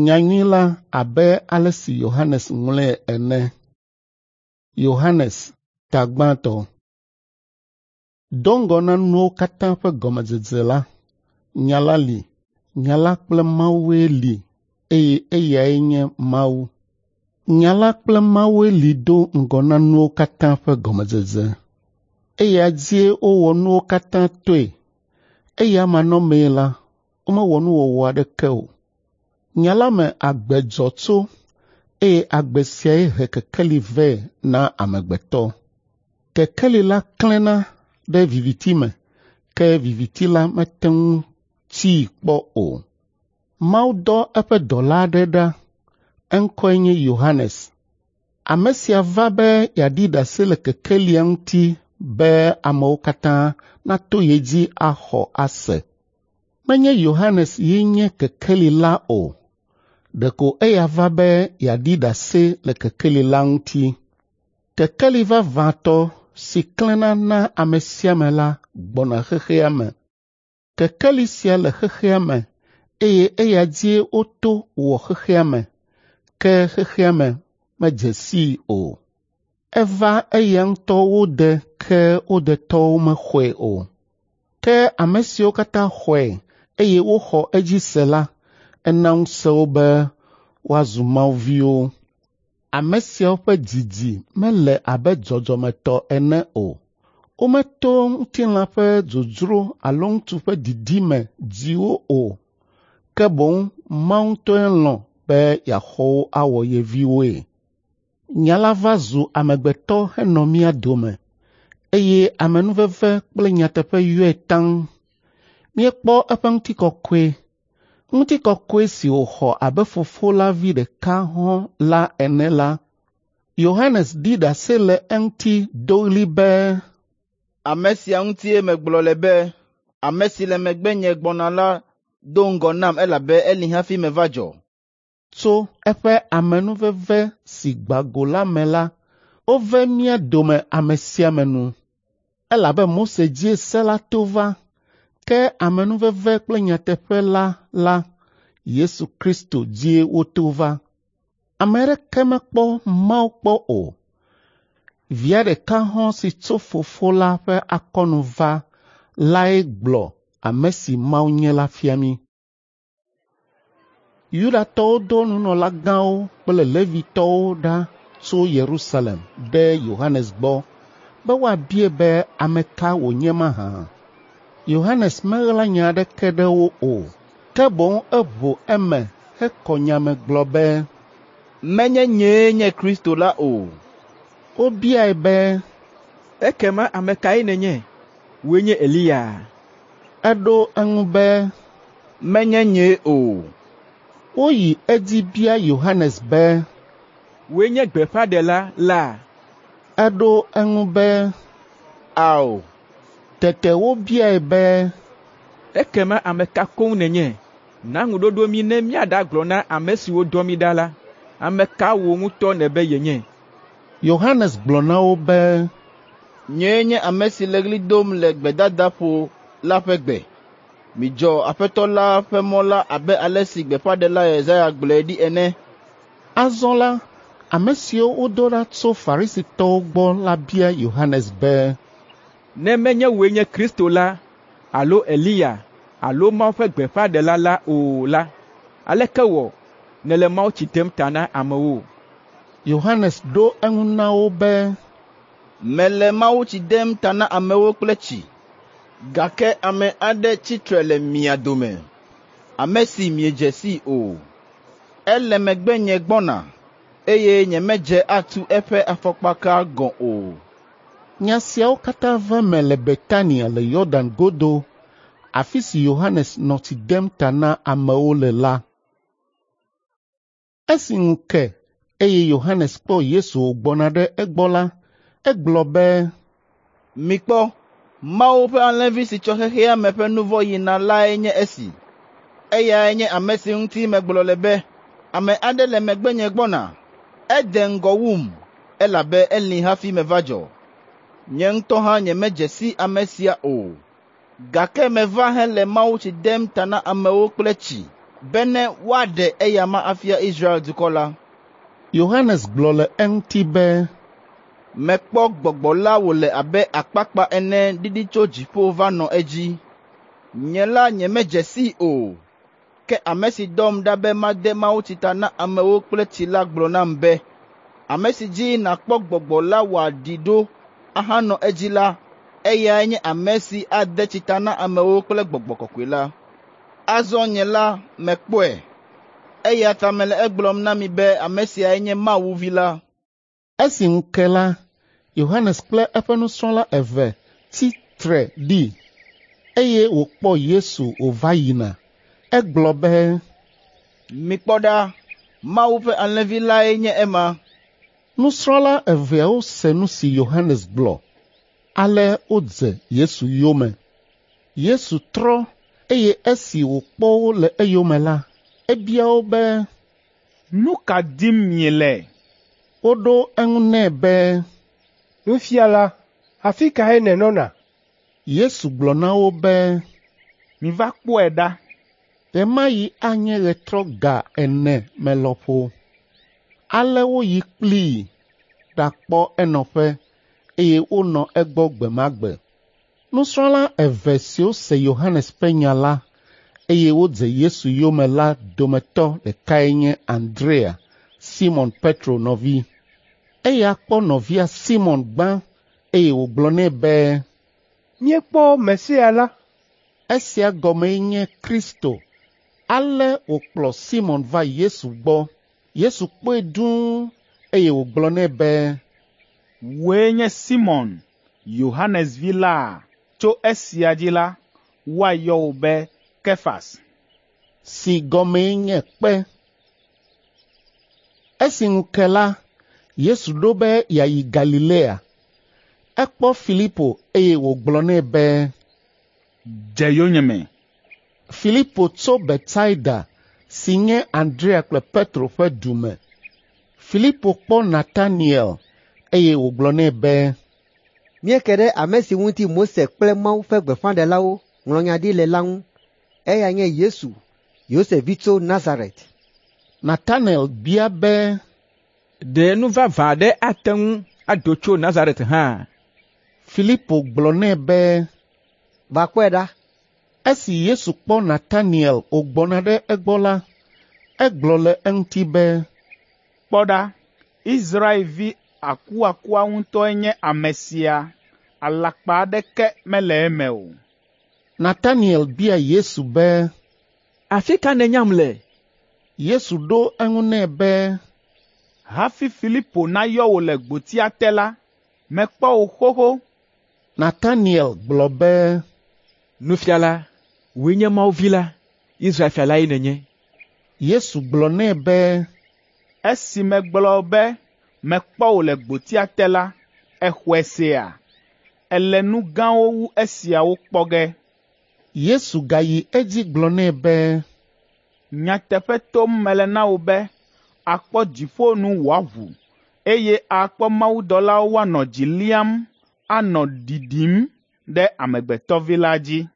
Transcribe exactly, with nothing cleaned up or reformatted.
Nyanyui la abe ale si Yohanes ŋlɔe ene. Yohanes ta gbãtɔ. Do ŋgɔ na nuwo katã ƒe gɔmedzedze la, Nya la li, Nya la kple Mawue li eye eyae nye Mawu. Nya la kple Mawue li do ŋgɔ na nuwo katã ƒe gɔmedzedze. Eya dzie wowɔ nuwo katã toe. Eya manɔmee la, womewɔ nuwɔwɔ aɖeke o. Nya la me agbe dzɔ tso eye agbe siae he kekeli vɛ na amegbetɔ. Kekeli la klẽna ɖe viviti me, ke viviti la mete ŋu tsii kpɔ o. Mawu dɔ eƒe dɔla aɖe ɖa, eŋkɔe nye Yohanes. Ame sia va be yeaɖi ɖase le kekelia ŋuti be amewo katã nato ye dzi axɔ ase. Menye Yohanes ye nye kekeli la o, ɖeko eya va be yeaɖi ɖase le kekeli la ŋuti. Kekeli vavãtɔ si klẽna na ame sia ame la gbɔna xexea me. Kekeli sia le xexea me eye eya dzie woto wɔ xexea me, ke xexea me medze sii o. Eva eya ŋutɔ wo de ke wo detɔwo mexɔe o. Ke ame siwo katã xɔe eye woxɔ edzi se la, ena ŋusẽ wo be woazu Mawu viwo. Ame siawo ƒe didi mele abe dzɔdzɔmetɔ ene o. Wometo ŋutilã ƒe dzodzro alo ŋutsu ƒe didi me dzi wo o, ke boŋ Mawu ŋutɔe lɔ̃ be yeaxɔ wo awɔ ye viwoe. Nya la va zu amegbetɔ henɔ mía dome eye amenuveve kple nyateƒe yɔe taŋ. Míekpɔ eƒe ŋutikɔkɔe, ŋutikɔkɔe si wòxɔ abe fofo la vi ɖeka hɔ̃ la ene la. Yohanes ɖi ɖase le eŋuti do ɣli be, Ame sia ŋutie megblɔ le be, ame si le megbenye gbɔna la do ŋgɔ nam elabe eli hafi meva dzɔ. Tso eƒe amenuveve si gbã go la me la, wove mía dome ame sia ame nu. Elabe Mose dzie se la to va, ke amenuveve kple nyateƒe la la, Yesu Kristo dzie woto va. Ame aɖeke mekpɔ Mawu kpɔ o. Via ɖeka hɔ̃ si tso Fofo la ƒe akɔnu va lae gblɔ ame si Mawu nye la fia mí. Yudatɔwo do nunɔlagãwo kple Levitɔwo ɖa tso Yerusalem ɖe Yohanes gbɔ be woabiae be ame ka wònye mahã. Yohanes meɣla nya aɖeke ɖe wo o, ke boŋ eʋu eme hekɔ nya me gblɔ be, Menye nyee nye Kristo la o. Wobiae be, Ekema ame kae nènye? Wòe nye Eliya? Eɖo eŋu be, Menye nyee o. Woyi edzi bia Yohanes be, Wòe nye gbeƒãɖela la? Eɖo eŋu be, Ao. Tete wobiae be, Ekema ame ka koŋ nènye? Na ŋuɖoɖo mí ne míaɖagblɔ na ame siwo dɔ mí ɖa la. Ame ka wò ŋutɔ nèbe yenye? Yohanes gblɔ na wo be, Nyee nye ame si le ɣli dom le gbedadaƒo la ƒe gbe. Midzɔ Aƒetɔ la ƒe mɔ la abe ale si gbeƒãɖela Yesaya gblɔe ɖi ene. Azɔ la, ame siwo wodo ɖa tso Farisitɔwo gbɔ la bia Yohanes be, Ne menye wòe nye Kristo la alo Eliya alo Mawu ƒe gbeƒãɖela la o la, aleke wɔ nèle mawutsi dem ta na amewo? Yohanes ɖo eŋu na wo be, Mele mawutsi dem ta na amewo kple tsi, gake ame aɖe tsi tre le mia dome, ame si miedze sii o. Ele megbenye gbɔna, eye nyemedze atu eƒe afɔkpaka gɔ̃ o. Nya siawo katã va eme le Betania le Yɔdan godo, afi si Yohanes nɔ tsi dem ta na amewo le la. Esi ŋu ke eye Yohanes kpɔ Yesu wògbɔna ɖe egbɔ la, egblɔ be, Mikpɔ, Mawu ƒe alẽvi si tsɔ xexea me ƒe nu vɔ̃ yina lae nye esi. Eyae nye ame si ŋuti megblɔ le be, ame aɖe le megbenye gbɔna, ede ŋgɔ wum, elabe eli hafi meva dzɔ. Nye ŋutɔ hã nyemedze si ame sia o, gake meva hele mawutsi dem ta na amewo kple tsi bene woaɖe eyama afia Israel dukɔ la. Yohanes gblɔ le eŋuti be, Mekpɔ gbɔgbɔ la wòle abe akpakpa ene ɖiɖi tso dziƒo va nɔ edzi. Nye la nyemedze sii o, ke ame si dɔm ɖa be made mawutsi ta na amewo kple tsi la gblɔ nam be, ame si dzi nàkpɔ gbɔgbɔ la wòaɖi ɖo ahanɔ edzi la, eyae nye ame si ade tsi ta na amewo kple gbɔgbɔ kɔkɔe la. Azɔ nye la mekpɔe, eya ta mele egblɔm na mi be ame siae nye Mawu Vi la. Esi ŋu ke la, Yohanes kple eƒe nusrɔ̃la eve tsi tre ɖi, eye wòkpɔ Yesu wòva yina. Egblɔ be, Mikpɔ ɖa, Mawu ƒe Alẽvi lae nye ema. Nusrɔ̃la eveawo se nu si Yohanes gblɔ, ale wodze Yesu yome. Yesu trɔ eye esi wòkpɔ wo le eyome la, ebia wo be, Nu ka dim miele? Woɖo eŋu nɛ be, Nufiala, afi kae nènɔna? Yesu gblɔ na wo be, Miva kpɔe ɖa. Ɣe ma ɣi anye ɣetrɔ ga ene me lɔƒo. Ale woyi kplii ɖakpɔ enɔƒe, eye wonɔ egbɔ gbe ma gbe. Nusrɔ̃la eve siwo se Yohanes ƒe nya la, eye wodze Yesu yome la dometɔ ɖekae nye Andrea, Simɔn Petro nɔvi. Eya kpɔ nɔvia Simɔn gbã, eye wògblɔ nɛ be, Míekpɔ Mesia la. Esia gɔmee nye Kristo. Ale wòkplɔ Simɔn va Yesu gbɔ. Yesu kpɔe dũu, eye wògblɔ nɛ be, Wòe nye Simɔn, Yohanes vi la? Tso esia dzi la, woayɔ wò be Kefas. Si gɔmee nye kpe. Esi ŋu ke la, Yesu ɖo be yeayi Galilea. Ekpɔ Filipo eye wògblɔ nɛ be, Dze yonyeme. Filipo tso Betsaida si nye Andrea kple Petro ƒe du me. Filipo kpɔ Nataniel eye wògblɔ nɛ be, Míeke ɖe ame si ŋuti Mose kple Mawu ƒe gbeƒãɖelawo ŋlɔ nya ɖi le la ŋu. Eya nye Yesu, Yosef vi tso Nazaret. Nataniel bia be, Ɖe nu vavã aɖe ate ŋu ado tso Nazaret hã? Filipo gblɔ nɛ be, Va kpɔe ɖa. Esi Yesu kpɔ Nataniel wògbɔna ɖe egbɔ la, egblɔ le eŋuti be, Kpɔ ɖa, Israelvi akuakua ŋutɔe nye ame sia, alakpa aɖeke mele eme o. Nataniel bia Yesu be, Afi ka nènyam le? Yesu ɖo eŋu nɛ be, Hafi Filipo nayɔ wò le gbotia te la, mekpɔ wò xoxo. Nataniel gblɔ be, Nufiala, wòe nye Mawu Vi la, Israel fia lae nènye. Yesu gblɔ nɛ be, Esi megblɔ be mekpɔ wò le gbotia te la, èxɔe sea? Èle nu gãwo wu esiawo kpɔ ge. Yesu gayi edzi gblɔ nɛ be, Nyateƒe tom mele na wò be, àkpɔ dziƒo nu wòaʋu, eye àkpɔ mawudɔlawo woanɔ dzi liam, anɔ ɖiɖim ɖe Amegbetɔvi la dzi.